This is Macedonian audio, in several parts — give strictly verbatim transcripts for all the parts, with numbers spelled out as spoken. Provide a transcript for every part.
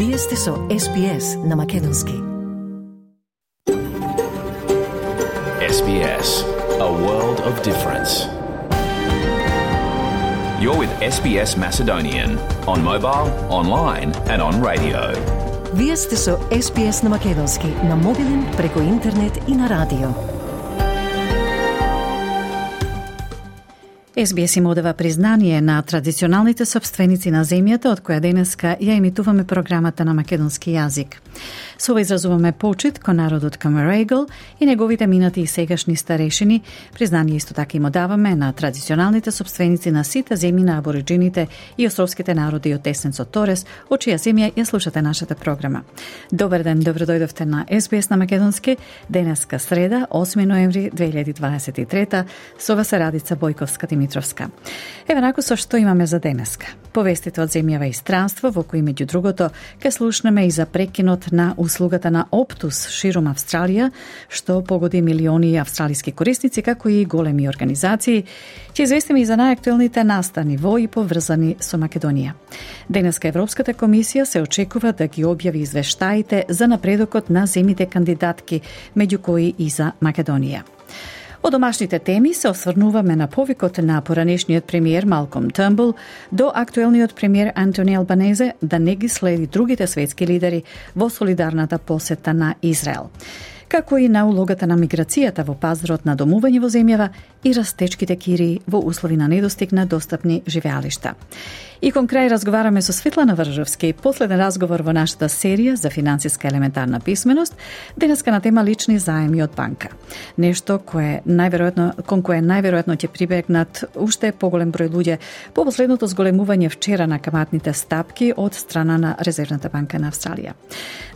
Вие сте со Ес Би Ес на Македонски. Ес Би Ес, a world of difference. You're with Ес Би Ес Macedonian on mobile, online and on radio. Вие сте со Ес Би Ес на Македонски, на мобилен, преку интернет и на радио. Ес Би Ес им одава признание на традиционалните собственици на земјата, од која денеска ја емитуваме програмата на македонски јазик. Со ова изразуваме почит кон народот Камарегл и неговите минати и сегашни старешини. Признание исто така им одаваме на традиционалните собственици на сите земји на абориджините и островските народи од Теснецот Торес, од чија земја ја слушате нашата програма. Добар ден, добро дојдовте на Ес Би Ес на Македонски. Денеска среда, осми ноември две илјади дваесет и трета, со вас е Радица Бојковска-Димитровска. Еве наку со што имаме за денеска. Повестите од земјава и странство, во кои меѓу другото ќе слушнеме и за прекинот на услугата на Оптус ширум Австралија, што погоди милиони австралиски корисници, како и големи организации. Ќе известиме и за најактуелните настани во и поврзани со Македонија. Денеска Европската комисија се очекува да ги објави извештаите за напредокот на земите кандидатки, меѓу кои и за Македонија. Од домашните теми се осврнуваме на повикот на поранешниот премиер Малком Трнбул до актуелниот премиер Антони Албанезе да не ги следи другите светски лидери во солидарната посета на Израел, како и на улогата на миграцијата во пазарот на домување во земјава и растечките кири во услови на недостиг на достапни живеалишта. И кон крај разговараме со Светлана Вржовски, последен разговор во нашата серија за финансиска елементарна писменост, денеска на тема лични заеми од банка. Нешто кое најверојатно кон кое најверојатно ќе прибегнат уште поголем број луѓе по последното зголемување вчера на каматните стапки од страна на Резервната банка на Австралија.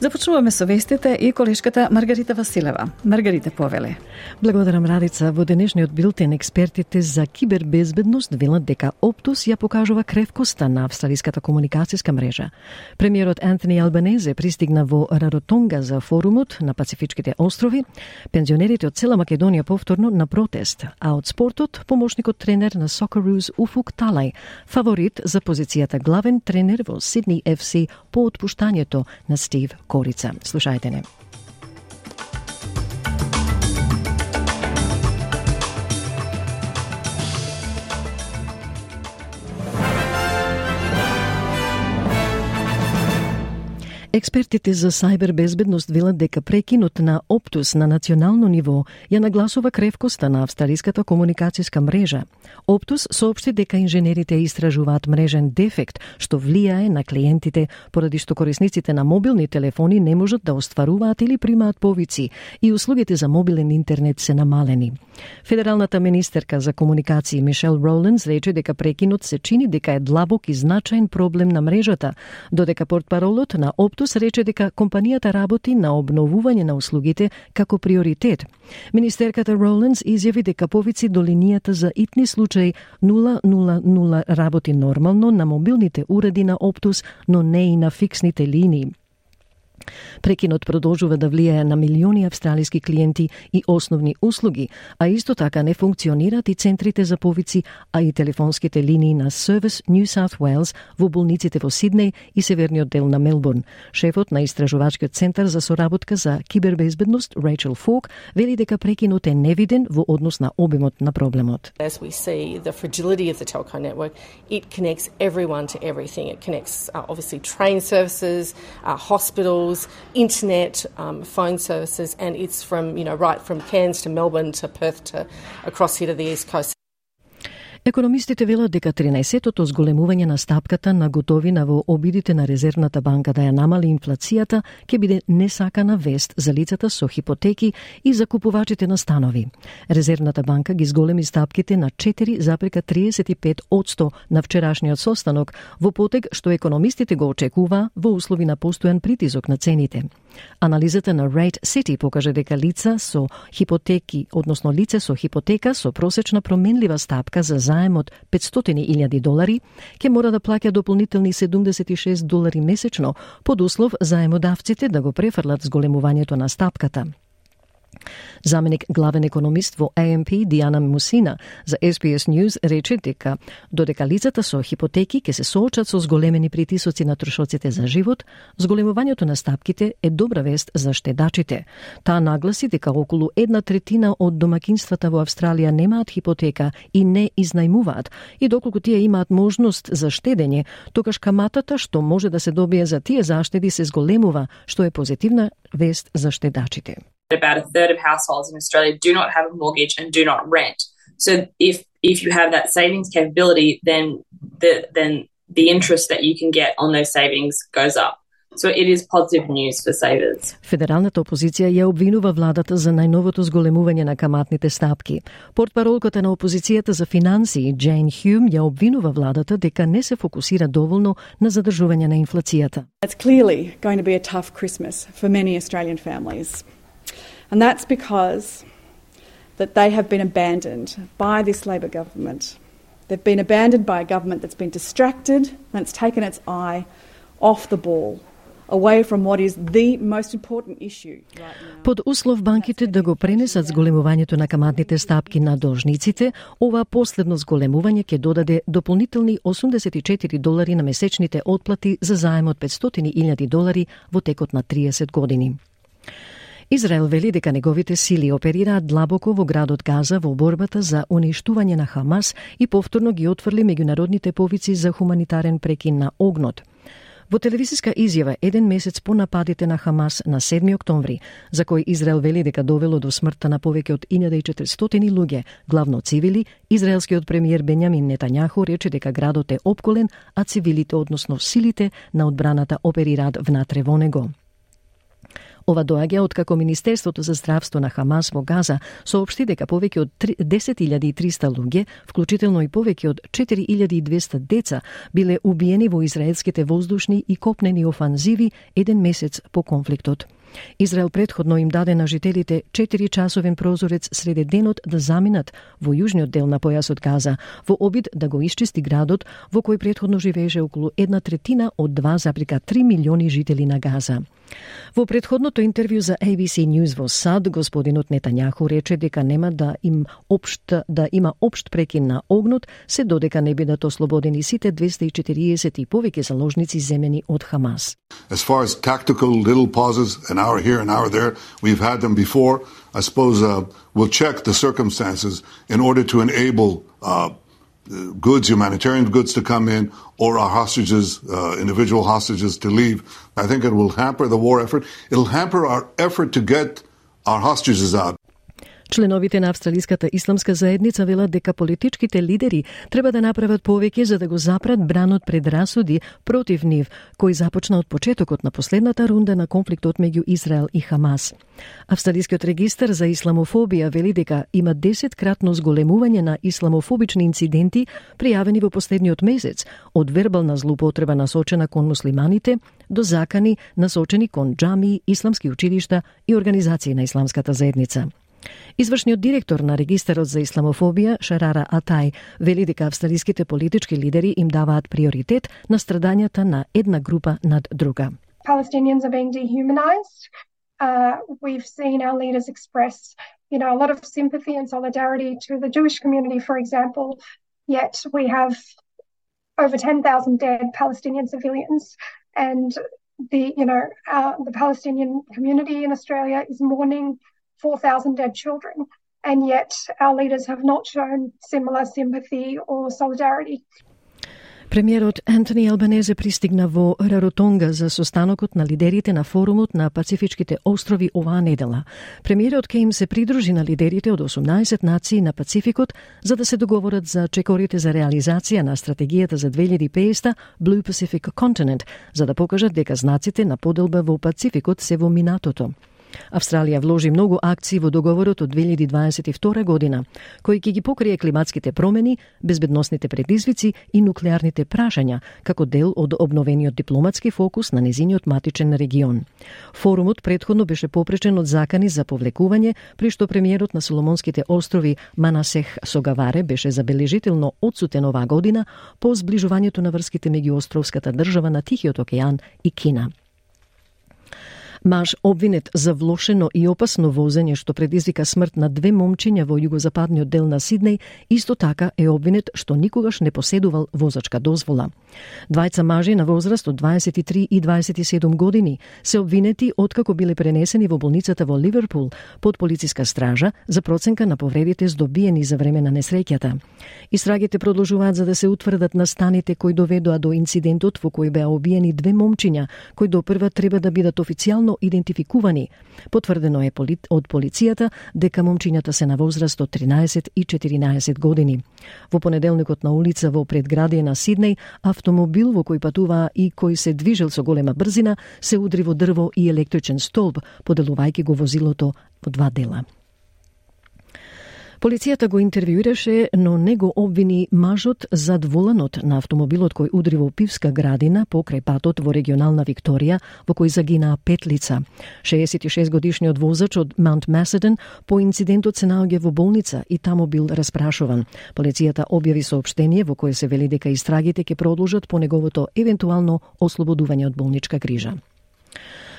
Започнуваме со вестите и колешката Маргарита Василева. Маргарита, повеле. Благодарам, Радица. Во денешниот билтен експертите за кибербезбедност велат дека Оптус ја покажува кревкост на австралиската комуникацијска мрежа. Премиерот Антони Албанезе пристигна во Раротонга за форумот на Пацифичките острови, пензионерите од цела Македонија повторно на протест, а од спортот помошникот тренер на Socceroos Уфук Талај, фаворит за позицијата главен тренер во Сидни Еф Си по отпуштањето на Стив Корица. Слушајте не. Експертите за сајбербезбедност велат дека прекинот на Оптус на национално ниво ја нагласува кревкоста на австралиската комуникацијска мрежа. Оптус соопшти дека инженерите истражуваат мрежен дефект што влијае на клиентите, поради што корисниците на мобилни телефони не можат да остваруваат или примаат повици и услугите за мобилен интернет се намалени. Федералната министерка за комуникации Мишел Роленс рече дека прекинот се чини дека е длабок и значаен проблем на мрежата, додека портпаролот на Оптус рече дека компанијата работи на обновување на услугите како приоритет. Министерката Роленс изјави дека повици до линијата за итни случаи нула нула нула работи нормално на мобилните уреди на Оптус, но не и на фиксните линии. Прекинот продолжува да влијае на милиони австралиски клиенти и основни услуги, а исто така не функционираат и центрите за повици, а и телефонските линии на Service New South Wales во болниците во Сиднеј и северниот дел на Мелбурн. Шефот на Истражувачкиот центар за соработка за кибербезбедност Рейчел Фок вели дека прекинот е невиден во однос на обемот на проблемот. As we see the fragility of the telco network, it connects everyone to everything. It connects uh, obviously train services, uh, hospitals, internet, um, phone services, and it's from, you know, right from Cairns to Melbourne to Perth to across here to the East Coast. Економистите велат дека тринаесеттото зголемување на стапката на готовина во обидите на Резервната банка да ја намали инфлацијата ќе биде несакана вест за лицата со хипотеки и за купувачите на станови. Резервната банка ги зголеми стапките на четири зарез триесет и пет одсто на вчерашниот состанок, во потег што економистите го очекува во услови на постојан притисок на цените. Анализата на Rate City покаже дека лица со хипотеки, односно лице со хипотека со просечна променлива стапка за заем од петстотини илјади долари, ќе мора да плаќа дополнителни седумдесет и шест долари месечно, под услов заемодавците да го префрлат зголемувањето на стапката. Заменик главен економист во А Ем Пи Диана Мусина за Ес Би Ес News рече дека додека лицата со хипотеки ќе се соочат со зголемени притисоци на трошоците за живот, зголемувањето на стапките е добра вест за штедачите. Таа нагласи дека околу една третина од домакинствата во Австралија немаат хипотека и не изнајмуваат, и доколку тие имаат можност за штедење, тогаш каматата што може да се добие за тие заштеди се зголемува, што е позитивна вест за штедачите. About a third of households in Australia do not have a mortgage and do not rent. So if if you have that savings capability, then the then the interest that you can get on those savings goes up. So it is positive news for savers. Федералната опозиција ја обвинува владата за најновото зголемување на каматните стапки. Портпаролката на опозицијата за финансии Джейн Хјум ја обвинува владата дека не се фокусира доволно на задржување на инфлацијата. It's clearly going to be a tough Christmas for many Australian families. And that's because that they have been abandoned by this Labor government. They've been abandoned by a government that's been distracted and it's taken its eye off the ball, away from what is the most important issue right now. Под услов банките да го пренесат зголемувањето на каматните стапки на должниците, ова последно зголемување ќе додаде дополнителни осумдесет и четири долари на месечните отплати за заем од петстотини илјади долари во текот на триесет години. Израел вели дека неговите сили оперираат длабоко во градот Газа во борбата за уништување на Хамас и повторно ги отфрли меѓународните повици за хуманитарен прекин на огнот. Во телевизиска изјава еден месец по нападите на Хамас на седми октомври, за кој Израел вели дека довело до смртта на повеќе од илјада и четиристотини луѓе, главно цивили, израелскиот премиер Бенјамин Нетањаху рече дека градот е опколен, а цивилите, односно силите на одбраната, оперираат внатре во него. Ова доаѓа откако Министерството за здравство на Хамас во Газа соопшти дека повеќе од десет илјади и триста луѓе, вклучително и повеќе од четири илјади и двесте деца, биле убиени во израелските воздушни и копнени офанзиви еден месец по конфликтот. Израел предходно им даде на жителите четири часовен прозорец среде денот да заминат во јужниот дел на појасот Газа, во обид да го исчисти градот во кој предходно живееше околу една третина од два зарез три милиони жители на Газа. Во предходното интервју за А Би Си News во САД, господинот Нетањаху рече дека нема да им општ да има општ прекин на огнот, се додека не бидат ослободени сите двесте и четириесет и повеќе заложници земени од Хамас. As far as tactical little pauses, an hour here, an hour there, we've had them before. I suppose uh, we'll check the circumstances in order to enable uh, goods, humanitarian goods to come in, or our hostages, uh, individual hostages to leave. I think it will hamper the war effort. It'll hamper our effort to get our hostages out. Членовите на Австралиската исламска заедница велат дека политичките лидери треба да направат повеќе за да го запрат бранот пред расуди против нив, кој започна од почетокот на последната рунда на конфликтот меѓу Израел и Хамас. Австралискиот регистар за исламофобија вели дека има десеткратно зголемување на исламофобични инциденти пријавени во последниот месец, од вербална злоупотреба насочена кон муслиманите до закани насочени кон џамии, исламски училишта и организации на исламската заедница. Извршниот директор на регистарот за исламофобија, Шарара Атай, вели дека австралиските политички лидери им даваат приоритет на страдањата на една група над друга. Palestinians are being dehumanized. Uh, we've seen our leaders express, you know, a lot of sympathy and solidarity to the Jewish community, for example, yet we have over ten thousand dead Palestinian civilians, and the, you know, uh, the Palestinian community in Australia is mourning four thousand dead children, and yet our leaders have not shown similar sympathy or solidarity. Премиерот Антони Албанезе пристигна во Раротонга за состанокот на лидерите на форумот на Пацифичките острови оваа недела. Премиерот ке им се придружи на лидерите од осумнаесет нации на Пацификот за да се договорат за чекорите за реализација на стратегијата за две илјади и педесета Blue Pacific Continent, за да покажат дека знаците на поделба во Пацификот се во минатото. Австралија вложи многу акции во договорот од две илјади дваесет и втора година, кој ќе ги покрие климатските промени, безбедносните предизвици и нуклеарните прашања, како дел од обновениот дипломатски фокус на незиниот матичен регион. Форумот претходно беше попречен од закани за повлекување, при што премиерот на Соломонските острови Манасех Согаваре беше забележително одсутен оваа година по зближувањето на врските меѓу островската држава на Тихиот океан и Кина. Маж обвинет за влошено и опасно возење што предизвика смрт на две момчиња во југозападниот дел на Сиднеј, исто така е обвинет што никогаш не поседувал возачка дозвола. Двајца мажи на возраст од дваесет и три и дваесет и седум години се обвинети откако биле пренесени во болницата во Ливерпул под полициска стража за проценка на повредите здобиени за време на несреќата. Истрагите продолжуваат за да се утврдат настаните кои доведоа до инцидентот во кој беа убиени две момчиња, кои допрва треба да бидат официјално идентификувани. Потврдено е од полицијата дека момчињата се на возраст од тринаесет и четиринаесет години. Во понеделникот на улица во предградие на Сиднеј, автомобил во кој патуваа и кој се движел со голема брзина се удри во дрво и електричен столб, поделувајќи го возилото во два дела. Полицијата го интервјуираше, но не го обвини мажот зад воланот на автомобилот кој удри во пивска градина покрај патот во регионална Викторија, во кој загинаа пет лица. шеесет и шест годишниот возач од Маунт Маседон по инцидентот се наоѓа во болница и таму бил распрашуван. Полицијата објави соопштение во кое се вели дека истрагите ќе продолжат по неговото евентуално ослободување од болничка грижа.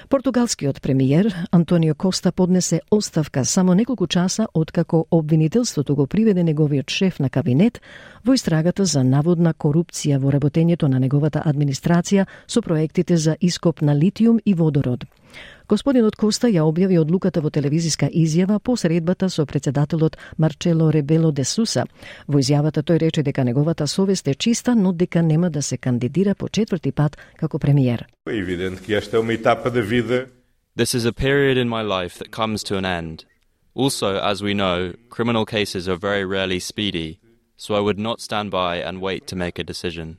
Португалскиот премиер Антонио Коста поднесе оставка само неколку часа откако обвинителството го приведе неговиот шеф на кабинет во истрагата за наводна корупција во работењето на неговата администрација со проектите за ископ на литиум и водород. Господинот Коста ја објави одлуката во телевизиска изјава по средбата со председателот Марчело Ребело де Суса. Во изјавата тој рече дека неговата совест е чиста, но дека нема да се кандидира по четврти пат како премиер. This is a period in my life that comes to an end. Also, as we know, criminal cases are very rarely speedy, so I would not stand by and wait to make a decision.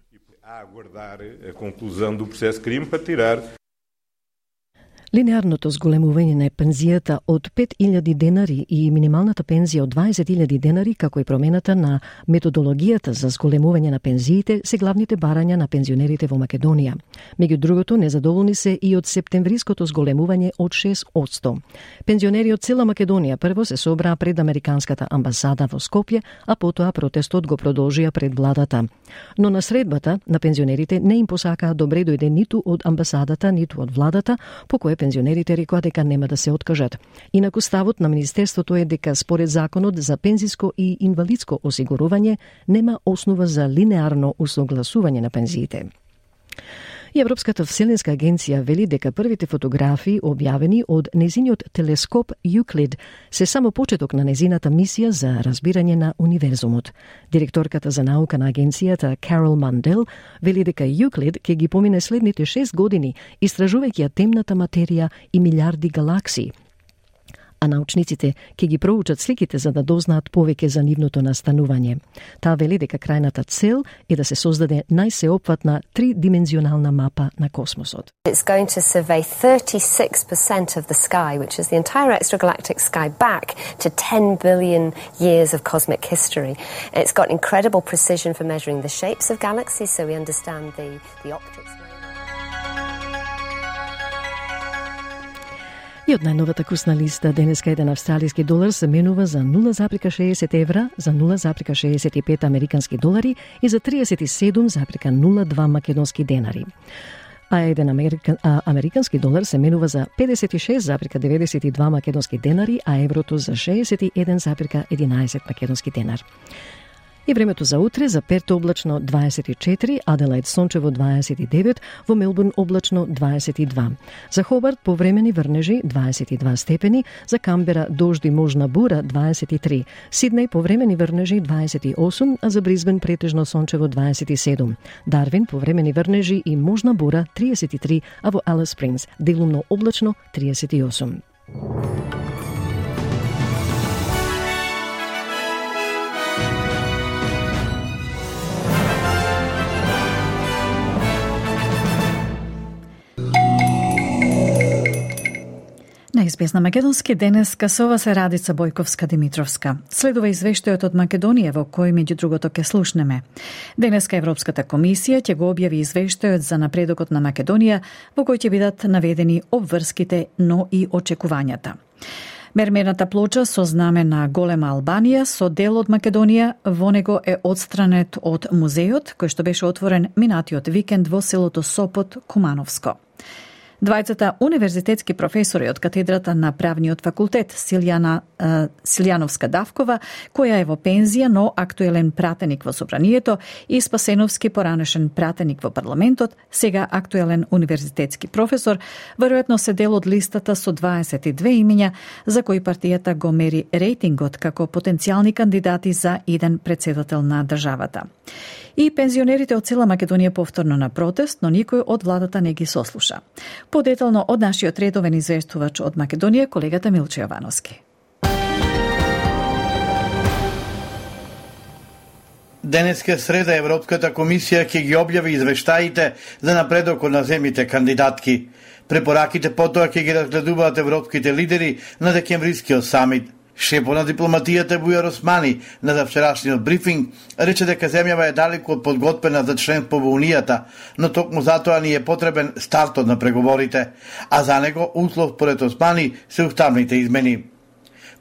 Линеарното зголемување на пензијата од пет илјади денари и минималната пензија од дваесет илјади денари, како и промената на методологијата за зголемување на пензиите, се главните барања на пензионерите во Македонија. Меѓу другото, незадоволни се и од септемвриското зголемување од шест одсто. Пензионери од цела Македонија прво се собраа пред Американската амбасада во Скопје, а потоа протестот го продолжија пред владата. Но на средбата на пензионерите не им посакаа добре дојде ниту од амбасадата, ниту од владата, по кој пензионерите рекоа дека нема да се откажат. Инаку ставот на Министерството е дека според законот за пензиско и инвалидско осигурување нема основа за линеарно усогласување на пензиите. И Европската вселенска агенција вели дека првите фотографии објавени од незиниот телескоп Юклид се само почеток на незината мисија за разбирање на универзумот. Директорката за наука на агенцијата Карол Мандел вели дека Юклид ќе ги помине следните шест години истражувајќи ја темната материја и милиарди галаксии. А научниците ќе ги проучат сликите за да дознаат повеќе за нивното настанување. Таа вели дека крајната цел е да се создаде најсеопфатна тридимензионална мапа на космосот. It's going to survey thirty-six percent of the sky, which is the entire extragalactic sky back to ten billion years of cosmic history. It's got incredible precision for measuring the shapes of galaxies, so we understand the, the optics. И од најновата курсна листа денеска еден австралиски долар се менува за нула зарка шеесет евра, за нула зарка шеесет и пет американски долари и за триесет и седум зарка нула два македонски денари. А еден американ, а, американски долар се менува за педесет и шест зарка деветдесет и два македонски денари, а еврото за шеесет и еден зарка единаесет македонски денар. И времето за утре: за Перт облачно дваесет и четири, Аделаид сончево дваесет и девет, во Мелбурн облачно дваесет и два. За Хобарт повремени врнежи дваесет и два степени, за Камбера дожди можна бура дваесет и три, Сиднеј повремени врнежи дваесет и осум, а за Бризбен претежно сончево дваесет и седум. Дарвин повремени врнежи и можна бура триесет и три, а во Алис Спрингс делумно облачно триесет и осум. На ес би ес на македонски денеска со ова се Радица Бојковска-Димитровска. Следува извештајот од Македонија во кој меѓу другото ќе слушнеме. Денеска Европската комисија ќе го објави извештајот за напредокот на Македонија во кој ќе бидат наведени обврските, но и очекувањата. Мермерната плоча со знаме на Голема Албанија со дел од Македонија во него е одстранет од музејот кој што беше отворен минатиот викенд во селото Сопот, Кумановско. Двајцата универзитетски професори од катедрата на правниот факултет Силјана uh, Силјановска Давкова, која е во пензија, но актуелен пратеник во собранието, и Спасеновски, поранешен пратеник во парламентот, сега актуелен универзитетски професор, веројатно се дел од листата со дваесет и две имиња за кои партијата го мери рейтингот како потенцијални кандидати за иден председател на државата. И пензионерите од цела Македонија повторно на протест, но никој од владата не ги сослуша. Подетално од нашиот редовен известувач од Македонија, колегата Милче Јовановски. Денеска среда Европската комисија ќе ги објави извештаите за напредокот на земјите кандидатки. Препораките потоа ќе ги разгледуваат европските лидери на декемврискиот самит. Шефот на дипломатијата Бујар Османи на завчерашниот брифинг рече дека земјава е далеку од подготвена за членство во Унијата, но токму затоа ни е потребен стартот на преговорите, а за него услов според Османи се уставните измени.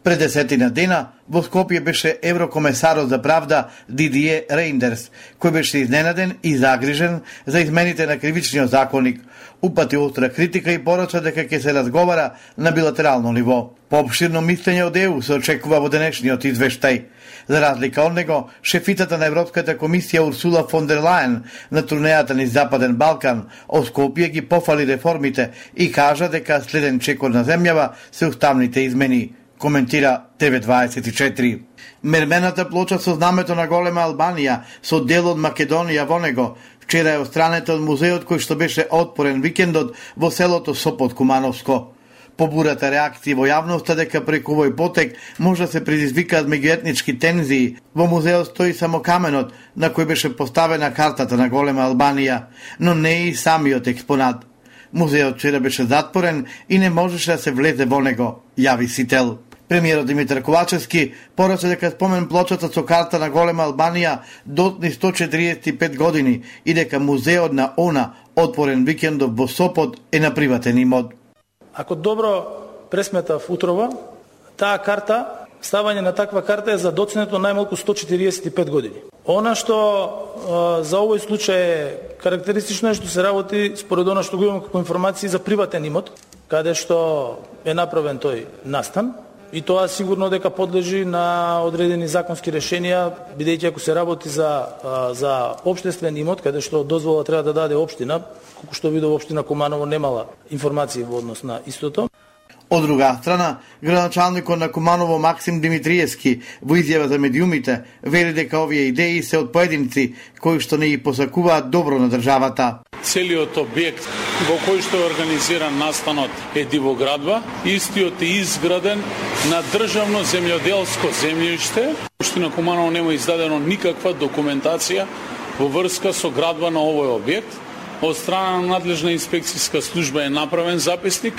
Пред десетина дена во Скопје беше еврокомесарот за правда Дидие Рейндерс, кој беше изненаден и загрижен за измените на кривичниот законник. Упати остра критика и порача дека ќе се разговара на билатерално ниво. Пообширно мислење од ЕУ се очекува во денешниот извештај. За разлика од него, шефитата на Европската комисија Урсула фон дер Лајен на турнејата низ Западен Балкан од Скопје ги пофали реформите и кажа дека следен чекор на земјава се уставните измени, коментира Т В дваесет и четири. Мермената плоча со знамето на голема Албанија со дел од Македонија во него вчера е отстранета од музеот кој што беше отпорен викендот во селото Сопот Кумановско. Побурата реакција во јавноста дека преку овој потек може да се предизвикаат меѓуетнички тензии. Во музеот стои само каменот на кој беше поставена картата на голема Албанија, но не и самиот експонат. Музеот вчера беше затворен и не можеше да се влезе во него, јави Сител. Премиерот Димитар Ковачевски порача дека спомен плочата со карта на голема Албанија дотни сто четириесет и пет години и дека музеот на она отворен викендов во Сопот е на приватен имот. Ако добро пресметав утрова, таа карта, ставање на таква карта е за доцнето најмалку сто четириесет и пет години. Она што а, за овој случај е карактеристично е што се работи според она што го имам како информации за приватен имот, каде што е направен тој настан, и тоа сигурно дека подлежи на одредени законски решенија, бидејќи ако се работи за за општествен имот, каде што дозвола треба да даде општина, колку што видов општина Куманово немала информации во однос на истото. Од друга страна, градоначалникот на Куманово Максим Димитриевски во изјава за медиумите вели дека овие идеи се од поединци кои што не ги посакуваат добро на државата. Целиот објект во кој што е организиран настанот е дивоградба, истиот е изграден на државно земјоделско земјиште. Општина Куманово нема издадено никаква документација во врска со градба на овој објект. Од страна на надлежна инспекцијска служба е направен записник.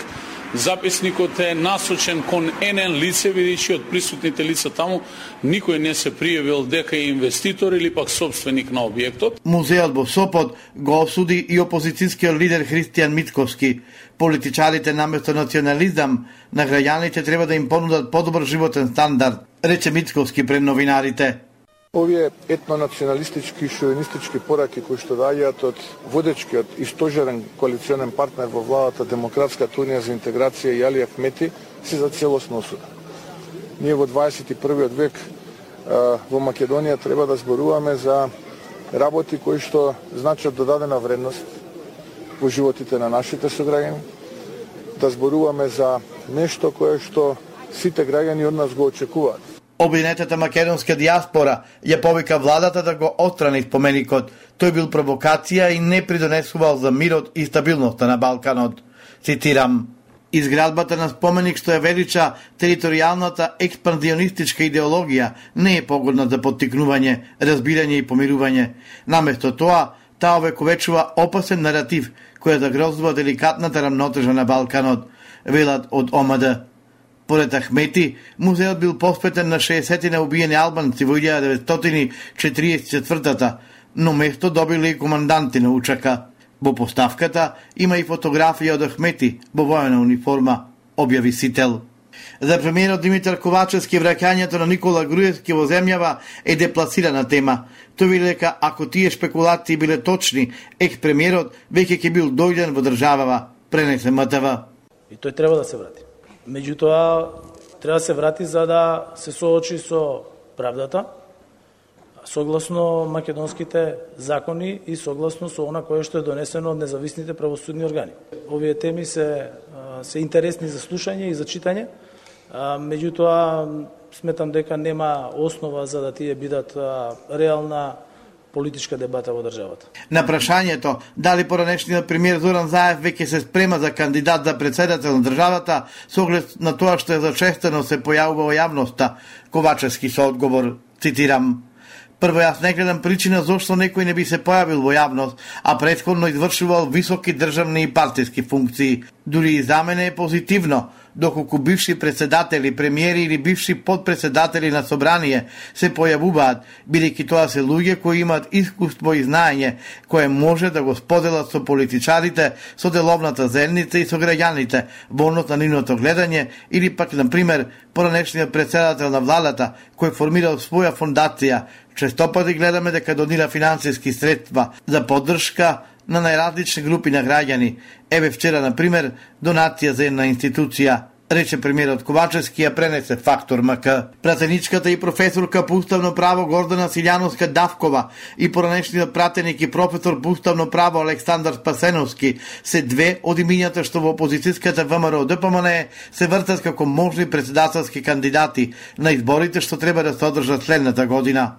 Записникот е насочен кон енен лице, бидејќи од присутните лица таму никој не се пријавил дека е инвеститор или пак собственик на објектот. Музеот во Сопот го осуди и опозицијскиот лидер Христијан Мицковски. Политичарите наместо национализам на граѓаните треба да им понудат подобар животен стандард, рече Мицковски пред новинарите. Овие етнонационалистички и шовинистички пораки кои што доаѓаат од водечкиот и стожерен коалиционен партнер во владата Демократската унија за интеграција и Али Ахмети се за целосно осуда. Ние во дваесет и првиот век во Македонија треба да зборуваме за работи кои што значат додадена вредност во животите на нашите сограѓани, да зборуваме за нешто кое што сите граѓани од нас го очекуваат. Обвинетата македонска диаспора ја повика владата да го отстрани споменикот. Тој бил провокација и не придонесувал за мирот и стабилноста на Балканот. Цитирам: изградбата на споменик што ја велича територијалната експанзионистичка идеологија не е погодна за поттикнување, разбирање и помирување. Наместо тоа, таа овековечува опасен наратив која загрозува деликатната рамнотежа на Балканот, велат од О М Д. Поред Ахмети, музеот бил посветен на шеесет убиени албанци во илјада деветстотини четириесет и четвртата, но место добиле и команданти на учака. Во поставката има и фотографија од Ахмети во воена униформа, објави Сител. За премиерот Димитар Ковачевски враќањето на Никола Груевски во земјава е депласирана тема. Тој вели дека ако тие шпекулации биле точни, екс-премиерот веќе ќе бил дојден во државава, пренесе М Т В. И тој треба да се врати. Меѓутоа, треба да се врати за да се соочи со правдата, согласно македонските закони и согласно со она кое што е донесено од независните правосудни органи. Овие теми се се интересни за слушање и за читање, меѓутоа сметам дека нема основа за да тие бидат реална политичка дебата во државата. На прашањето дали поранешниот премиер Зоран Заев веќе се спрема за кандидат за председател на државата, со оглед на тоа што е зачестено се појавува во јавноста, Ковачевски со одговор, цитирам: "Прво, јас не гледам причина зошто некој не би се појавил во јавност, а претходно извршувал високи државни и партиски функции. Дури и за мене е позитивно, доколку бивши председатели, премиери или бивши подпредседатели на собрание се појавуваат, бидејќи тоа се луѓе кои имаат искуство и знаење, кое може да го споделат со политичарите, со деловната заедница и со граѓаните, во однос на нивното гледање, или пак, на пример, поранешниот председател на владата, кој формирал своја фондација. Често пати гледаме дека донира финансиски средства за поддршка на најразлични групи на граѓани. Еве вчера, на пример, донација за една институција, рече премиерот Ковачевски, ја пренесе Фактор М К. Пратеничката и професорка по уставно право Гордана Силјановска Давкова и поранешниот пратеник и професор по уставно право Александар Спасеновски се две од имињата што во опозицијската В М Р О Д П М Н Е се вртат како можни председателски кандидати на изборите што треба да се одржат следната година.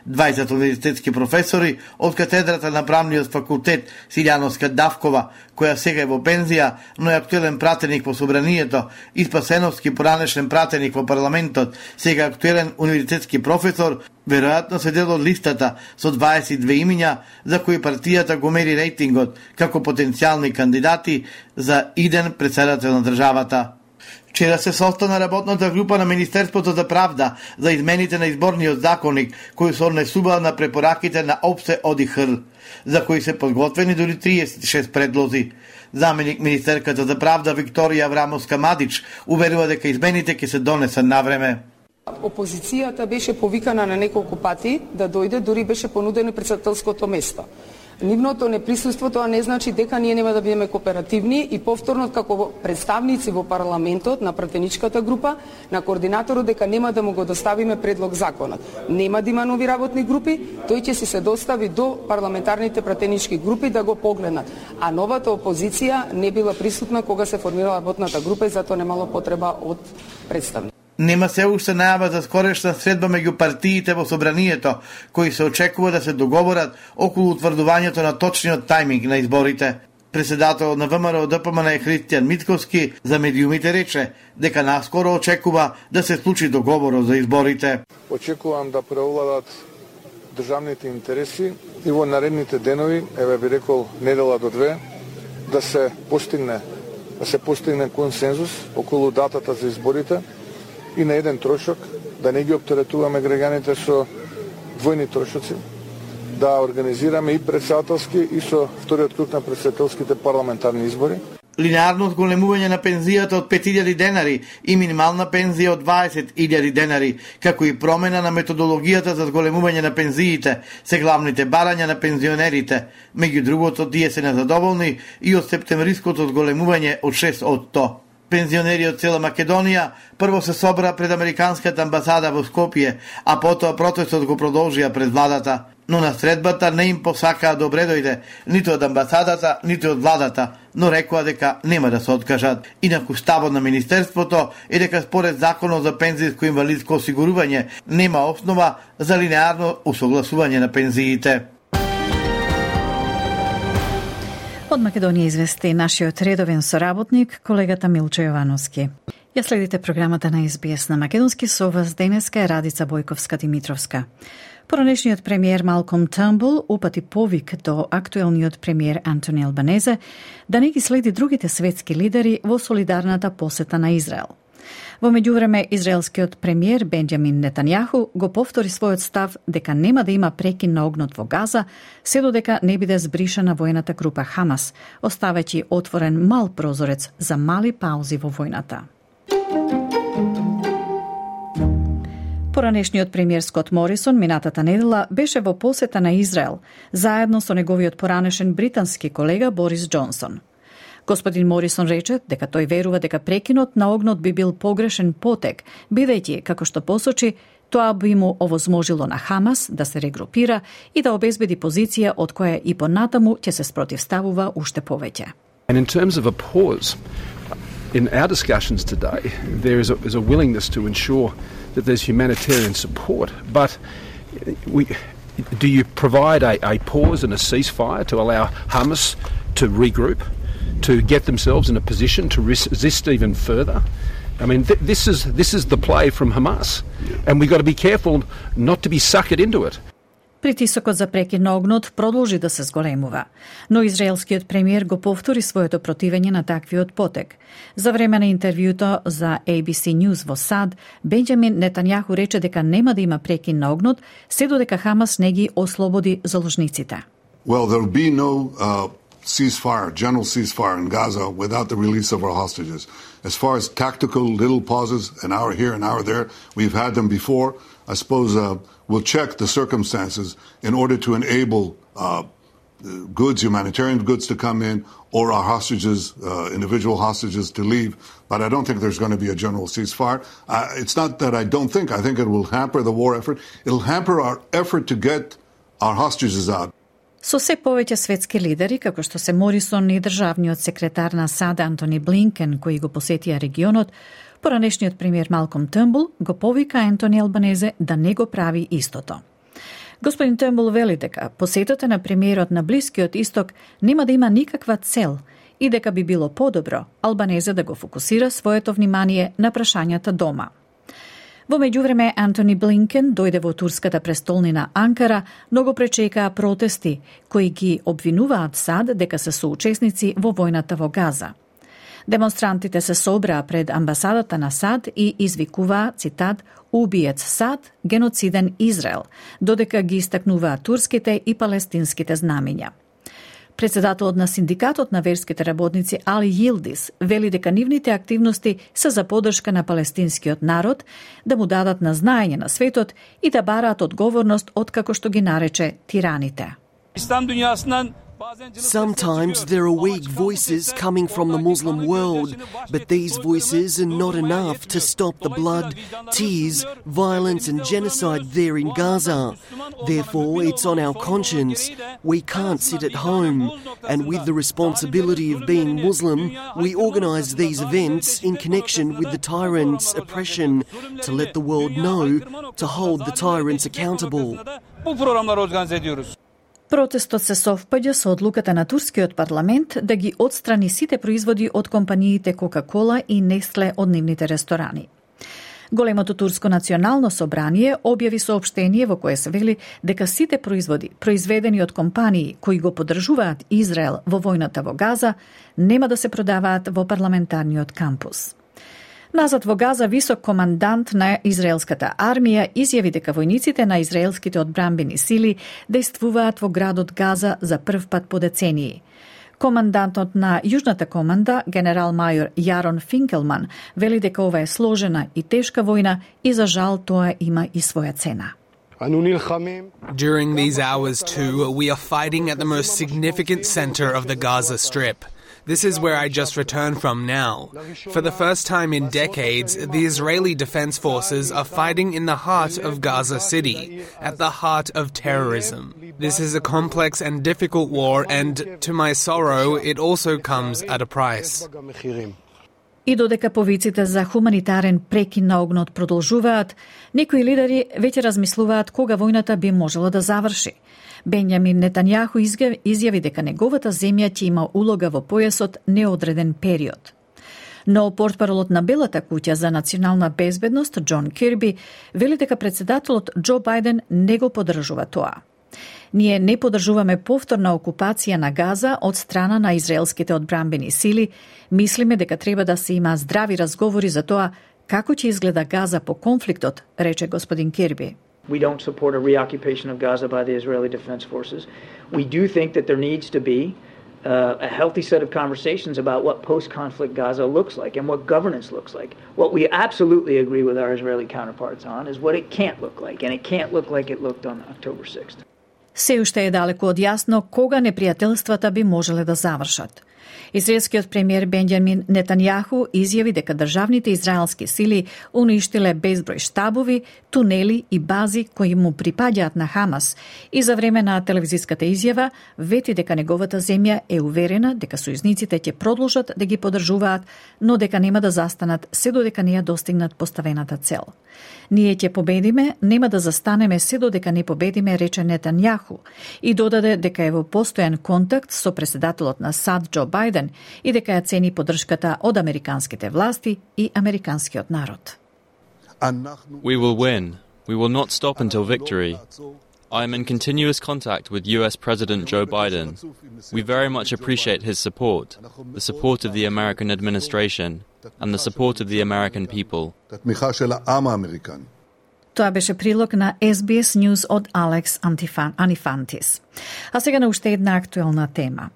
дваесет универзитетски професори од катедрата на правниот факултет Силјановска Давкова, која сега е во пензија, но е актуелен пратеник во собранието, и Спасеновски, поранешен пратеник во парламентот, сега актуелен универзитетски професор, веројатно се дел од листата со дваесет и две имиња за кои партијата го мери рейтингот како потенцијални кандидати за иден председател на државата. Вчера се состана работната група на Министерството за правда за измените на изборниот законник, кои се однесуваат на препораките на ОПСЕ ОДИХР, за кои се подготвени дури триесет и шест предлози. Заменик министерката за правда Викторија Аврамовска Мадич уверува дека измените ќе се донесат на време. Опозицијата беше повикана на неколку пати да дојде, дури беше понудено председателското место. Нивното неприсуство тоа не значи дека ние нема да бидеме кооперативни и повторно како представници во парламентот на пратеничката група, на координаторот дека нема да му го доставиме предлог законот. Нема да има нови работни групи, тој ќе си се достави до парламентарните пратенички групи да го погледнат. А новата опозиција не била присутна кога се формирала работната група и затоа немало потреба од представници. Нема се уште најава за скорешна средба меѓу партиите во собранието, кои се очекува да се договорат околу утврдувањето на точниот тајминг на изборите. Председател на В М Р О Д П М Н Е Христијан Митковски за медиумите рече дека наскоро очекува да се случи договорот за изборите. Очекувам да преовладат државните интереси и во наредните денови, еве би рекол недела до две, да се постигне да се постигне консензус околу датата за изборите и на еден трошок, да не ги оптеретуваме граѓаните со двојни трошоци, да организираме и председателски и со вториот круг на председателските парламентарни избори. Линеарно зголемување на пензијата од пет илјади денари и минимална пензија од дваесет илјади денари, како и промена на методологијата за зголемување на пензиите, се главните барања на пензионерите. Меѓу другото, тие се незадоволни и од септемвриското зголемување од шест од сто. Пензионери од цела Македонија прво се собра пред Американската амбасада во Скопје, а потоа протестот го продолжија пред владата. Но на средбата не им посакаа добре дојде, ниту од амбасадата, ниту од владата, но рекоа дека нема да се откажат. Инаку ставот на Министерството е дека според Законот за пензијско инвалидско осигурување нема основа за линеарно усогласување на пензиите. Од Македонија извести нашиот редовен соработник, колегата Милчо Јовановски. Ја следите програмата на Ес Би Ес на македонски, со вас денеска е Радица Бојковска-Димитровска. Поранешниот премиер Малком Търнбул упати повик до актуелниот премиер Антони Албанезе да не ги следи другите светски лидери во солидарната посета на Израел. Во меѓувреме, израелскиот премиер Бенџамин Нетањаху го повтори својот став дека нема да има прекин на огнот во Газа, се додека не биде збришена војната група Хамас, оставајќи отворен мал прозорец за мали паузи во војната. Поранешниот премиер Скот Морисон минатата недела беше во посета на Израел, заедно со неговиот поранешен британски колега Борис Џонсон. Господин Морисон рече дека тој верува дека прекинот на огнот би бил погрешен потек, бидејќи, како што посочи, тоа би му овозможило на Хамас да се регрупира и да обезбеди позиција од која и понатаму ќе се спротивставува уште повеќе. And in terms of a pause, in our discussions today, there is a, is a willingness to ensure that there's humanitarian support, but we, do you provide a, a pause and a ceasefire to allow Hamas to regroup, to get themselves in a position to resist even further? I mean, th- this is this is the play from Hamas, and we've got to be careful not to be suckered into it. Притисокот за прекин на огнот продолжи да се зголемува, но израелскиот премиер го повтори своето противење на таквиот потек. За време на интервјуто за A B C News во САД, Бенџамин Нетањаху рече дека нема да има прекин на огнот, се додека Хамас не ги ослободи заложниците. Well, there will be no uh, ceasefire, general ceasefire in Gaza without the release of our hostages. As far as tactical little pauses, an hour here, an hour there, we've had them before. I suppose uh, we'll check the circumstances in order to enable uh, goods, humanitarian goods to come in, or our hostages, uh, individual hostages to leave. But I don't think there's going to be a general ceasefire. Uh, it's not that I don't think. I think it will hamper the war effort. It'll hamper our effort to get our hostages out. Со се повеќе светски лидери, како што се Морисон и државниот секретар на САД Антони Блинкен, кои го посетија регионот, поранешниот премиер Малком Търнбул го повика Ентони Албанезе да не го прави истото. Господин Търнбул вели дека посетата на премиерот на Блискиот Исток нема да има никаква цел и дека би било подобро Албанезе да го фокусира своето внимание на прашањата дома. Во меѓувреме, Антони Блинкен дојде во турската престолнина Анкара, но го пречекаа протести, кои ги обвинуваат САД дека се соучесници во војната во Газа. Демонстрантите се собраа пред амбасадата на САД и извикуваа, цитат, "Убиец САД, геноциден Израел", додека ги истакнуваа турските и палестинските знамиња. Председателот на синдикатот на верските работници Али Йилдис вели дека нивните активности се за поддршка на палестинскиот народ, да му дадат на знаење на светот и да бараат одговорност од, како што ги нарече, тираните. Sometimes there are weak voices coming from the Muslim world, but these voices are not enough to stop the blood, tears, violence and genocide there in Gaza. Therefore, it's on our conscience. We can't sit at home. And with the responsibility of being Muslim, we organise these events in connection with the tyrants' oppression to let the world know, to hold the tyrants accountable. Протестот се совпаѓа со одлуката на турскиот парламент да ги отстрани сите производи од компаниите Кока-Кола и Нестле од нивните ресторани. Големото турско национално собрание објави соопштение во кое се вели дека сите производи произведени од компании кои го поддржуваат Израел во војната во Газа нема да се продаваат во парламентарниот кампус. Назад во Газа, висок командант на израелската армија изјави дека војниците на израелските одбранбени сили дејствуваат во градот Газа за прв пат по децении. Командантот на Јужната команда, генерал-мајор Јарон Финкелман, вели дека ова е сложена и тешка војна и за жал тоа има и своја цена. During these hours too, we are fighting at the most significant center of the Gaza Strip. This is where I just returned from now. For the first time in decades, the Israeli Defense Forces are fighting in the heart of Gaza City, at the heart of terrorism. This is a complex and difficult war, and to my sorrow, it also comes at a price. И додека повиците за хуманитарен прекин на огнот продолжуваат, некои лидери веќе размислуваат кога војната би можела да заврши. Бенјамин Нетањаху изјави дека неговата земја ќе има улога во појасот неодреден период. Но портпаролот на Белата куќа за национална безбедност Џон Кирби вели дека председателот Џо Бајден не го поддржува тоа. Ние не поддржуваме повторна окупација на Газа од страна на израелските одбранбени сили. Мислиме дека треба да се има здрави разговори за тоа како ќе изгледа Газа по конфликтот, рече господин Кирби. We don't support a reoccupation of Gaza by the Israeli Defense Forces. We do think that there needs to be uh, a healthy set of conversations about what post-conflict Gaza looks like and what governance looks like. What we absolutely agree with our Israeli counterparts on is what it can't look like, and it can't look like it looked on October sixth. Се уште е далеку од јасно кога непријателствата би можеле да завршат. Израелскиот премиер Бенјамин Нетањаху изјави дека државните израелски сили уништиле безброј штабови, тунели и бази кои му припаѓаат на Хамас и за време на телевизиската изјава вети дека неговата земја е уверена дека сојузниците ќе продолжат да ги поддржуваат, но дека нема да застанат се додека не ја достигнат поставената цел. Ние ќе победиме, нема да застанеме се додека не победиме, рече Нетањаху, и додаде дека е во постојан контакт со претседателот на САД Џо Бајден и дека ја цени поддршката од американските власти и американскиот народ. We will win. We will not stop until victory. I am in continuous contact with U S President Joe Biden. We very much appreciate his support, the support of the American administration, and the support of the American people. Тоа беше прилог на Ес Би Ес News од Алекс Анифантис. А сега на уште една актуелна тема.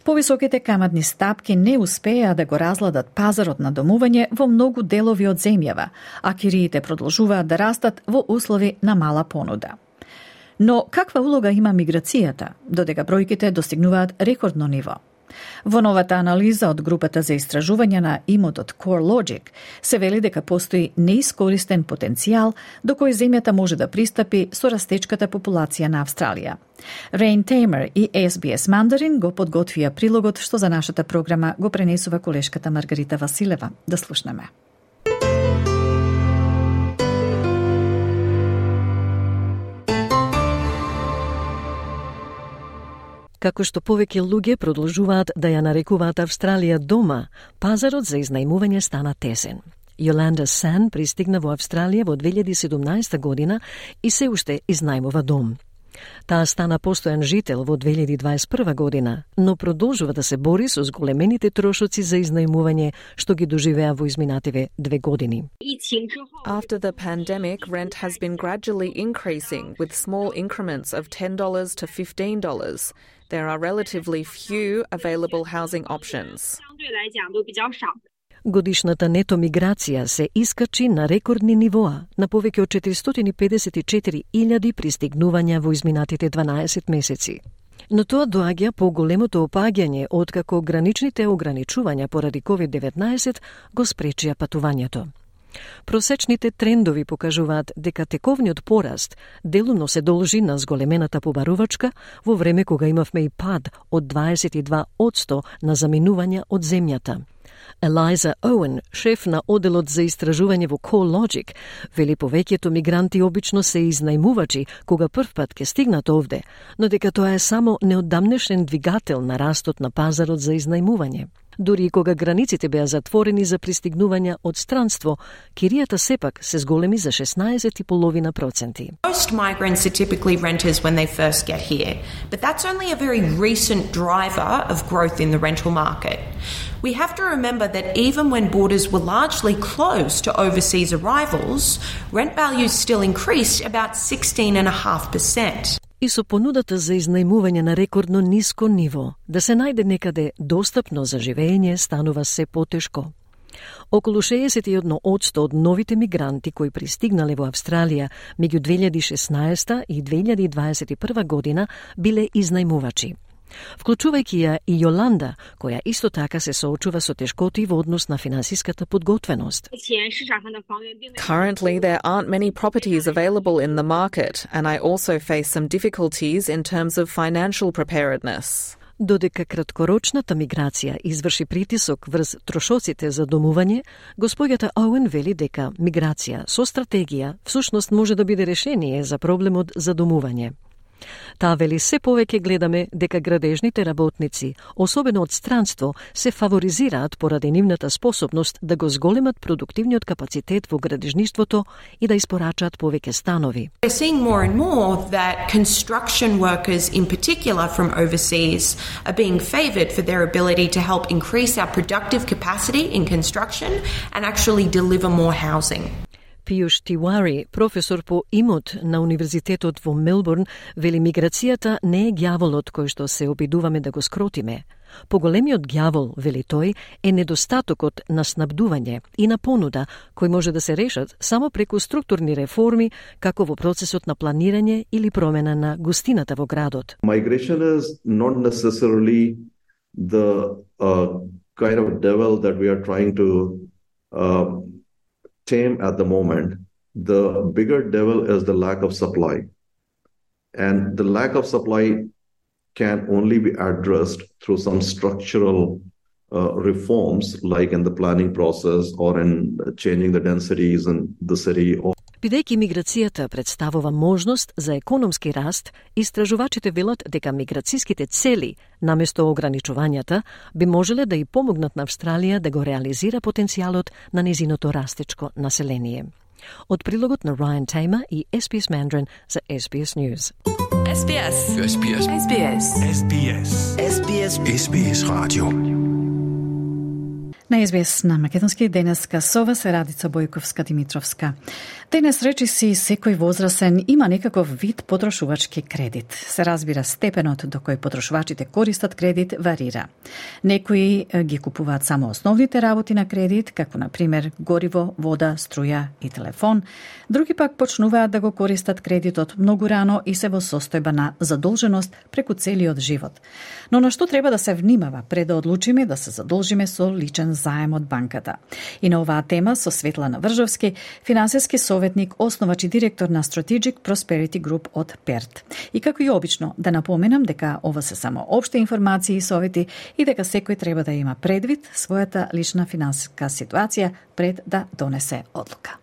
Повисоките каматни стапки не успеа да го разладат пазарот на домување во многу делови од земјава, а кириите продолжуваат да растат во услови на мала понуда. Но каква улога има миграцијата, додека бројките достигнуваат рекордно ниво? Во новата анализа од групата за истражување на имотот CoreLogic се вели дека постои неискористен потенцијал до кој земјата може да пристапи со растечката популација на Австралија. Рейн Теймер и Ес Би Ес Мандарин го подготвија прилогот што за нашата програма го пренесува колешката Маргарита Василева. Да слушнеме. Како што повеќе луѓе продолжуваат да ја нарекуваат Австралија дома, пазарот за изнајмување стана тесен. Јоланда Сан пристигна во Австралија во две илјади и седумнаесета година и се уште изнајмува дом. Таа стана постојан жител во две илјади дваесет и прва година, но продолжува да се бори со зголемените трошоци за изнајмување што ги доживеа во изминативе две години. After the pandemic, rent has been gradually increasing with small increments of ten dollars to fifteen dollars. There are relatively few available housing options. Годишната нето миграција се искачи на рекордни нивоа, на повеќе од четиристотини и педесет и четири илјади пристигнувања во изминатите дванаесет месеци. Но тоа доаѓа по големото опаѓање откако граничните ограничувања поради ковид деветнаесет го спречија патувањето. Просечните трендови покажуваат дека тековниот пораст делумно се должи на зголемената побарувачка во време кога имавме и пад од дваесет и два одсто на заминувања од земјата. Елайза Оуен, шеф на оделот за истражување во CoreLogic, вели повеќето мигранти обично се изнајмувачи кога првпат ке стигнат овде, но дека тоа е само неодамнешен двигател на растот на пазарот за изнајмување. Дури и кога границите беа затворени за пристигнувања од странство, киријата сепак се зголеми за шеснаесет и половина проценти. Most migrants are typically renters when they first get here, but that's only a very recent driver of growth in the rental market. We have to remember that even when borders were largely closed to overseas arrivals, rent values still increased about sixteen point five percent. И со понудата за изнајмување на рекордно ниско ниво, да се најде некаде достапно за живење станува се потешко. Околу шеесет и едно одсто од новите мигранти кои пристигнале во Австралија меѓу две илјади и шеснаесета и две илјади и дваесет и прва година биле изнајмувачи. Вклучувајќи ја и Јоланда, која исто така се соочува со тешкоти во однос на финансиската подготвеност. Currently, there aren't many properties available in the market, and I also face some difficulties in terms of financial preparedness. Додека краткорочната миграција изврши притисок врз трошоците за домување, госпоѓата Оуен вели дека миграција со стратегија всушност може да биде решение за проблемот за домување. Таа вели се повеќе гледаме дека градежните работници, особено од странство, се фаворизираат поради нивната способност да го зголемат продуктивниот капацитет во градежништвото и да испорачаат повеќе станови. We're seeing more and more that construction workers in particular from overseas are being favoured for their ability to help increase our productive capacity in construction and actually deliver more housing. Пијуш Тивари, професор по имот на Универзитетот во Мелбурн, вели миграцијата не е ѓаволот кој што се обидуваме да го скротиме. Поголемиот ѓавол, вели тој, е недостатокот на снабдување и на понуда, кои може да се решат само преку структурни реформи, како во процесот на планирање или промена на густината во градот. Migration is not necessarily the uh, kind of devil that we are trying to uh, tame at the moment. The bigger devil is the lack of supply. And the lack of supply can only be addressed through some structural uh, reforms, like in the planning process or in changing the densities in the city. Бидејќи миграцијата представува можност за економски раст, истражувачите велат дека миграцијските цели, наместо ограничувањата, би можеле да и помогнат на Австралија да го реализира потенцијалот на незиното растечко население. Од прилогот на Ryan Tamer и Ес Би Ес Mandarin за Ес Би Ес News. Ес Би Ес. Ес Би Ес. Ес Би Ес. Ес Би Ес. Ес Би Ес. Ес Би Ес радио. На Ес Би Ес на македонски денеска со вас е Радица Бојковска-Димитровска. Денес речи си секој возрасен има некаков вид потрошувачки кредит. Се разбира степенот до кој потрошувачите користат кредит варира. Некои ги купуваат само основните работи на кредит, како на пример гориво, вода, струја и телефон. Други пак почнуваат да го користат кредитот многу рано и се во состојба на задолженост преку целиот живот. Но на што треба да се внимава пред да одлучиме да се задолжиме со личен заем од банката? И на оваа тема со Светлана Вржовски, финансиски советник, основач и директор на Strategic Prosperity Group од Перт. И како и обично, да напоменам дека ова се само општи информации и совети и дека секој треба да има предвид својата лична финансиска ситуација пред да донесе одлука.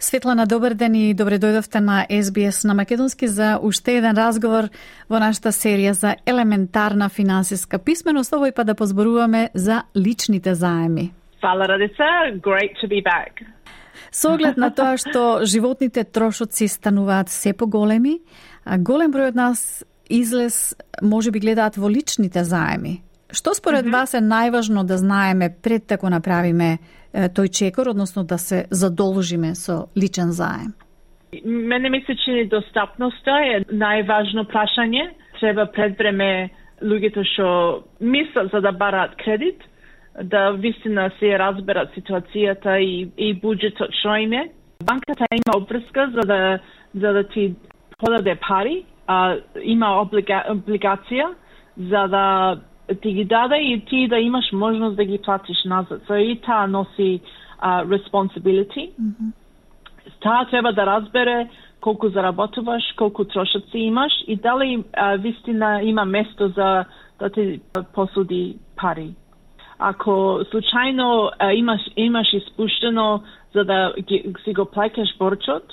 Светлана, добар ден и добре дојдовте на Ес Би Ес на македонски за уште еден разговор во нашата серија за елементарна финансиска писменост, овој па да позборуваме за личните заеми. Фала, Радица. Great to be back. Со оглед на тоа што животните трошоци стануваат се поголеми, а голем број од нас излез може би гледаат во личните заеми. Што според mm-hmm. вас е најважно да знаеме пред да го направиме е, тој чекор, односно да се задолжиме со личен заем? Мене ми се чини достапноста е најважно прашање. Треба пред време луѓето што мислат за да бараат кредит, да вистина се разберат ситуацијата и, и буџетот што им е. Банката има обврска за да, за да ти подаде пари, а, има облига, облигација за да ти ги даде и ти да имаш можност да ги платиш назад. So и таа носи uh, responsibility. Mm-hmm. Таа треба да разбере колку заработуваш, колку трошоци имаш и дали uh, вистина има место за да ти посуди пари. Ако случајно uh, имаш, имаш испуштено за да ги, си го плаќаш борчот,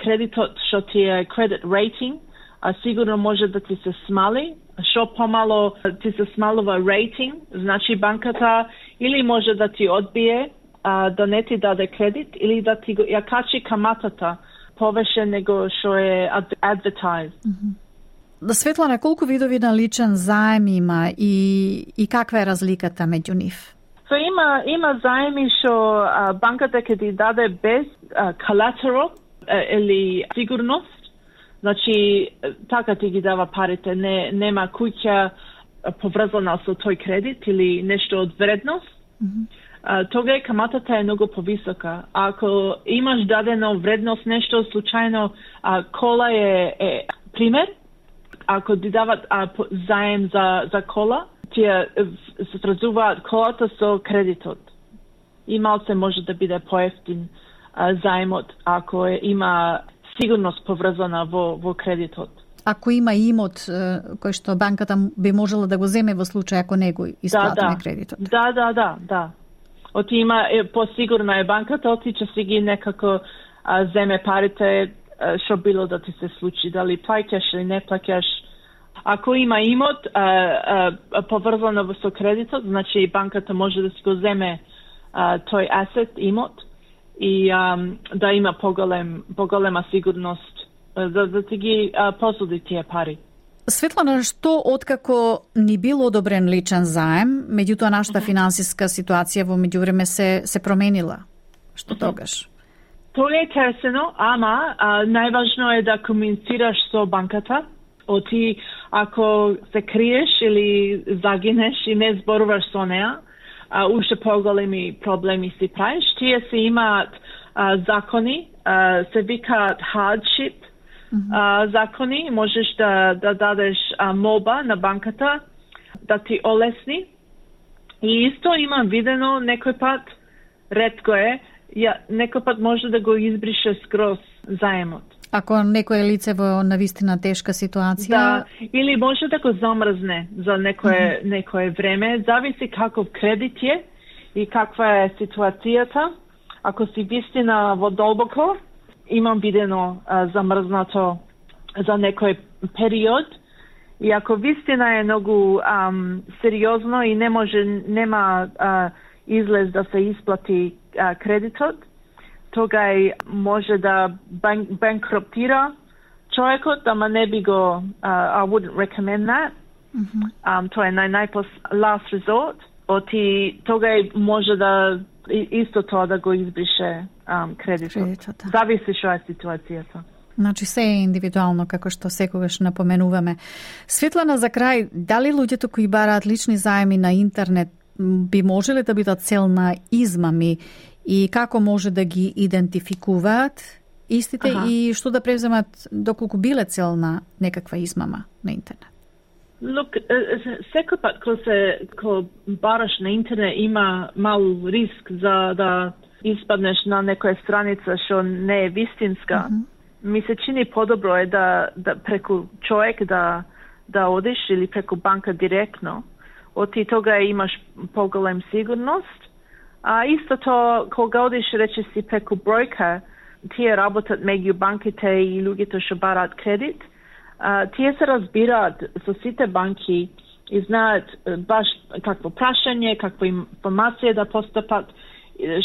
кредитот што ти е credit rating, а сигурно може да ти се смали. Што помало ти се смалува рейтинг, значи банката или може да ти одбие, а, да не ти даде кредит, или да ти ја качи каматата повеќе него што е advertised. Mm-hmm. Светлана, колку видови на личен заем има и, и каква е разликата меѓу нив? So, има, има заеми што банката ќе ти даде без а, collateral а, или сигурност. Значи, така ти ги дава парите, не, нема куќа поврзана со тој кредит или нешто од вредност, mm-hmm. а, тога каматата е многу повисока. Ако имаш дадено вредност, нешто случајно, а, кола е, е пример, ако ти дават а, заем за, за кола, тие се сразуваат колата со кредитот. И малце може да биде поевтин а, заемот, ако е, има сигурност поврзана во, во кредитот. Ако има имот кој што банката би можела да го земе во случај ако не го исплатиме да, кредитот. Да, да, да, да. Оти има е, посигурна е банката, оти ќе си ги некако а, земе парите што било да ти се случи, дали плаќаш или не плаќаш. Ако има имот а, а, поврзано со кредитот, значи банката може да си го земе а, тој асет, имот, и um, да има поголем, поголема сигурност за да ти ги uh, посуди тие пари. Светлана, што откако ни бил одобрен личен заем, меѓутоа нашата mm-hmm. финансиска ситуација во меѓувреме се се променила? Што mm-hmm. тогаш? Тоа е тесено, ама а, најважно е да комуницираш со банката Оти, ако се криеш или загинеш и не зборуваш со неа, а, уште поголеми проблеми си правиш. Тие се имаат а, закони, а, се викаат hardship mm-hmm. а, закони. Можеш да, да дадеш а, молба на банката да ти олесни. И исто имам видено некој пат, ретко е, ја, некој пат може да го избрише скроз заемот. Ако некој лице во навистина тешка ситуација, да, или може да го замрзне за некое mm-hmm. некое време, зависи каков кредит е и каква е ситуацијата. Ако си вистина во долбоко, имам видено а, замрзнато за некој период. И ако вистина е многу ам, сериозно и не може, нема а, излез да се исплати а, кредитот, тогај може да бан, банкроптира човекот, ама не би го, uh, I wouldn't recommend that. Mm-hmm. Um, тоа е нај најпос last resort. Оти тогај може да исто тоа да го избрише um, кредитот. кредитот да. Зависи што е ситуацијата. Значи се е индивидуално, како што секогаш напоменуваме. Светлана, за крај, дали луѓето кои бараат лични заеми на интернет би можеле да бидат цел на измами и како може да ги идентификуваат истите ага. и што да преземат доколку биле цел на некаква измама на интернет? Look, секој пат кога се кога бараш на интернет има мал риск за да испаднеш на некоја страница што не е вистинска. Mm-hmm. Ми се чини подобро е да, да преку човек да да одиш или преку банка директно. Оти тога имаш поголем сигурност. А исто тоа, кога одиш, рече си, преку бројка, тие работат меѓу банките и луѓето што бараат кредит, а, тие се разбираат со сите банки и знаат баш какво прашање, каква информација да постапат,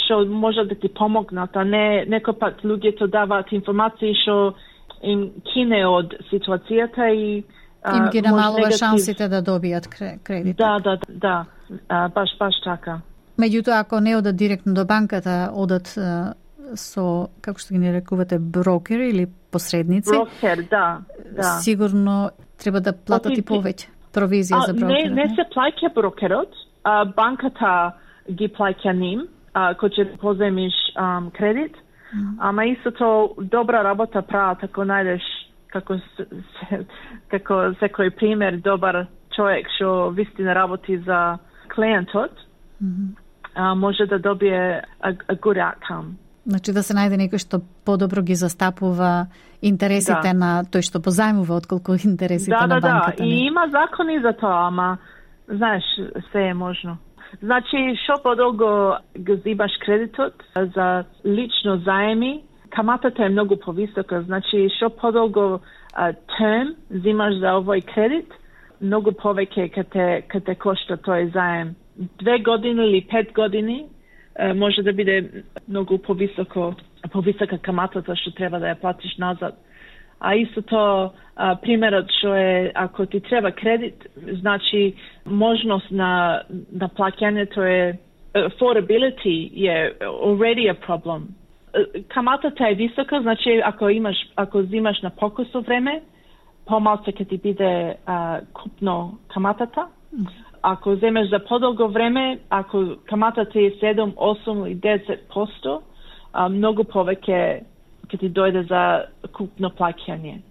што може да ти помогнат, а не некој пат луѓето даваат информации што им кине од ситуацијата и а, им ги намалува негатив... шансите да добијат кредит. Да, да, да, а, баш, баш така. Меѓутоа, ако не одат директно до банката, одат а, со, како што ги не рекувате, брокер или посредници. Брокер, да, да. Сигурно треба да платат и повеќе провизија а, за брокерот. Не, не се плаќа брокерот, а, банката ги плаќа ним, а, кој ќе поземиш а, кредит, mm. ама исто тоа добра работа прават ако најдеш како се, како секој пример добар човек што вистина работи за клиентот. Mm-hmm. Uh, може да добие a, a good outcome. Значи да се најде некој што подобро ги застапува интересите да. на тој што позајмува отколку интересите да, на да, банката. Да, да, и има закони за тоа, ама знаеш, се е можно. Значи, што подолго го зибаш кредитот за лично заеми, каматата е многу повисока. Значи, што подолго uh, терм зимаш за овој кредит, многу повеќе ке те, ке те кошта тој заем. Две години или пет години е, може да биде многу повисоко, повисока каматата што треба да ја платиш назад. А исто тоа, примерот што е, ако ти треба кредит, значи можност на, на плаќањето е, affordability е already a problem. Каматата е висока, значи ако имаш, ако зимаш на покусо време, помалку ќе ти биде а, купно каматата. Ако земеш за подолго време, ако каматата е седум, осум или десет проценти, многу повеќе ќе ти дојде за купно плаќање.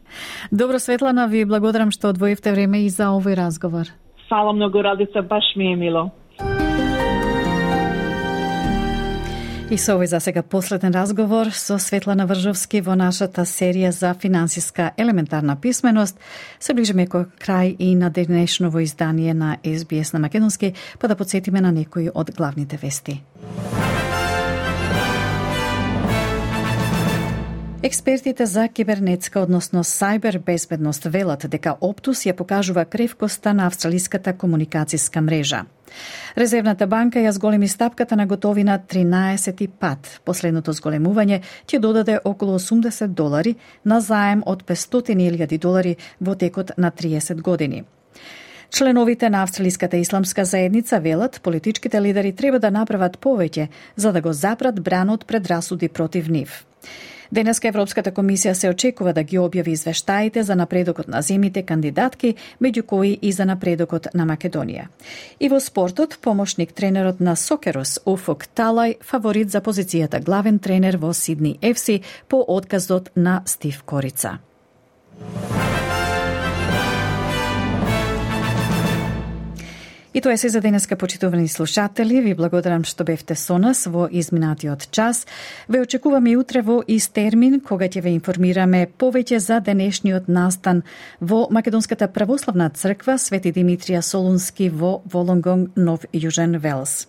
Добро, Светлана, ви благодарам што одвоивте време и за овој разговор. Фала многу, Радица, баш ми е мило. И со овој за сега последен разговор со Светлана Вржовски во нашата серија за финансиска елементарна писменост се ближиме кој крај и на денешново издание на Ес Би Ес на македонски, па да подсетиме на некои од главните вести. Експертите за кибернетска, односно сајбер безбедност велат дека Оптус ја покажува кревкоста на австралиската комуникацијска мрежа. Резервната банка ја зголеми стапката на готовина тринаесети пат. Последното зголемување ќе додаде околу осумдесет долари на заем од петстотини илјади долари во текот на триесет години. Членовите на Австралиската исламска заедница велат политичките лидери треба да направат повеќе за да го запрат бранот предрасуди против нив. Денеска Европската комисија се очекува да ги објави извештаите за напредокот на земите кандидатки, меѓу кои и за напредокот на Македонија. И во спортот, помошник тренерот на Сокерос Уфук Талај фаворит за позицијата главен тренер во Сидни еф си по отказот на Стив Корица. И тоа е се за денеска, почитувани слушатели. Ви благодарам што бевте со нас во изминатиот час. Ве очекуваме и утре во ист термин, кога ќе ве информираме повеќе за денешниот настан во Македонската православна црква Свети Димитрија Солунски во Волонгонг, Нов Јужен Велс.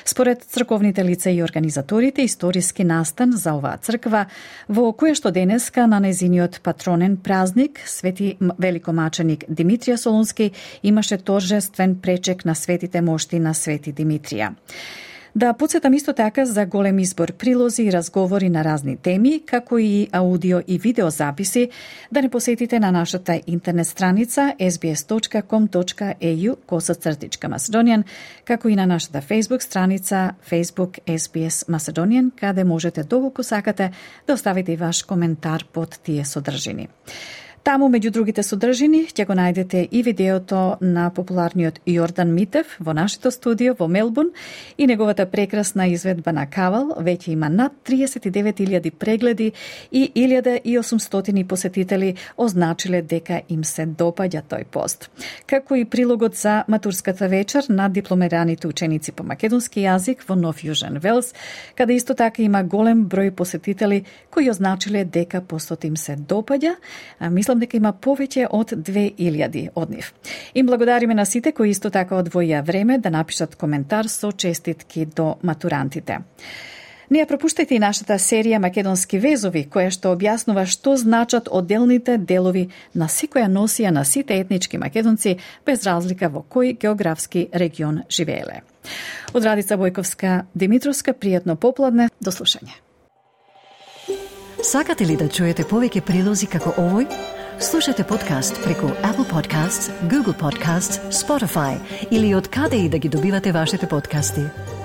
Според црковните лица и организаторите, историски настан за оваа црква, во која што денеска на нејзиниот патронен празник, Свети великомаченик Димитрија Солунски имаше торжествен пречек на светите мошти на Свети Димитрија. Да подсетам исто така за голем избор прилози и разговори на разни теми, како и аудио и видеозаписи, да не посетите на нашата интернет страница ес би ес точка ком точка е ю косацртичка Macedonian, како и на нашата Facebook страница Facebook ес би ес Macedonian, каде можете доколку сакате да оставите и ваш коментар под тие содржини. Таму, меѓу другите содржини, ќе го најдете и видеото на популарниот Јордан Митев во нашето студио во Мелбурн и неговата прекрасна изведба на Кавал. Веќе има над триесет и девет илјади прегледи и илјада и осумстотини посетители означиле дека им се допаѓа тој пост. Како и прилогот за матурската вечер на дипломираните ученици по македонски јазик во Нов Јужен Велс, каде исто така има голем број посетители кои означиле дека постот им се допаѓа. Мислам дека има повеќе од две илјади од нив. Им благодариме на сите кои исто така одвоја време да напишат коментар со честитки до матурантите. Не ја пропуштајте и нашата серија Македонски везови, која што објаснува што значат одделните делови на секоја носија на сите етнички македонци, без разлика во кој географски регион живееле. Од Радица Бојковска Димитровска, пријатно попладне, до слушање. Сакате ли да чуете повеќе прилози како овој? Слушате подкаст преку Apple Podcasts, Google Podcasts, Spotify или од каде и да ги добивате вашите подкасти.